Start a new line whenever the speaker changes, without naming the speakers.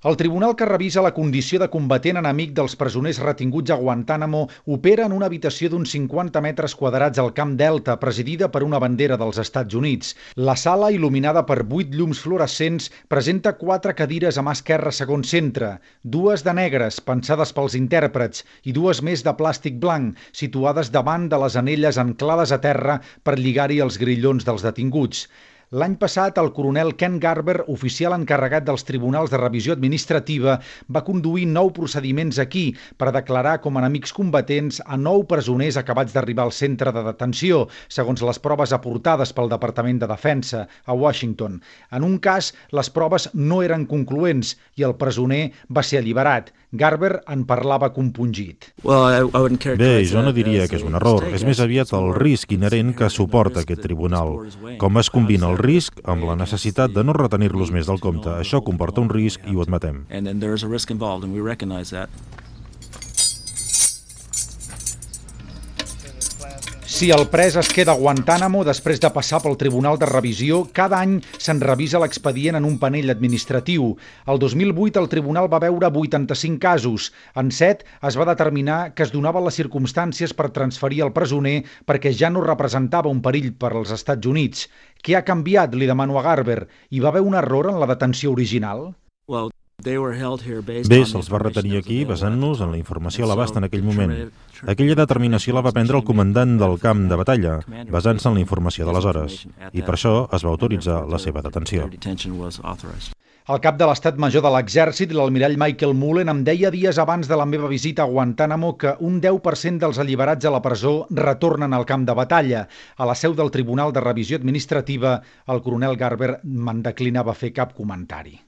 El tribunal que revisa la condició de combatent enemic dels presoners retinguts a Guantánamo opera en una habitació d'uns 50 metres quadrats al Camp Delta, presidida per una bandera dels Estats Units. La sala, il·luminada per 8 llums fluorescents, presenta 4 cadires a mà esquerra segon centre, 2 de negres, pensades pels intèrprets, i 2 més de plàstic blanc, situades davant de les anelles anclades a terra per lligar-hi els grillons dels detinguts. L'any passat, el coronel Ken Garber, oficial encarregat dels tribunals de revisió administrativa, va conduir 9 procediments aquí per declarar com enemics combatents a 9 presoners acabats d'arribar al centre de detenció, segons les proves aportades pel Departament de Defensa a Washington. En un cas, les proves no eren concloents i el presoner va ser alliberat. Garber en parlava compungit.
Bé, jo no diria que és un error. És més aviat el risc inherent que suporta aquest tribunal. Com es combina el risc amb la necessitat de no retenir-los més del compte. Això comporta un risc i ho admetem.
Si el pres es queda a Guantánamo després de passar pel Tribunal de Revisió, cada any se'n revisa l'expedient en un panell administratiu. El 2008 el tribunal va veure 85 casos. En 7 es va determinar que es donaven les circumstàncies per transferir el presoner perquè ja no representava un perill per als Estats Units. Què ha canviat, li demano a Garber? Hi va haver un error en la detenció original?
Bé, se'ls va retenir aquí basant-nos en la informació a l'abast en aquell moment. Aquella determinació la va prendre el comandant del camp de batalla, basant-se en la informació d'aleshores, i per això es va autoritzar la seva detenció.
El cap de l'Estat Major de l'Exèrcit, l'almirall Michael Mullen, em deia dies abans de la meva visita a Guantánamo que un 10% dels alliberats a la presó retornen al camp de batalla. A la seu del Tribunal de Revisió Administrativa, el coronel Garber me'n declinava fer cap comentari.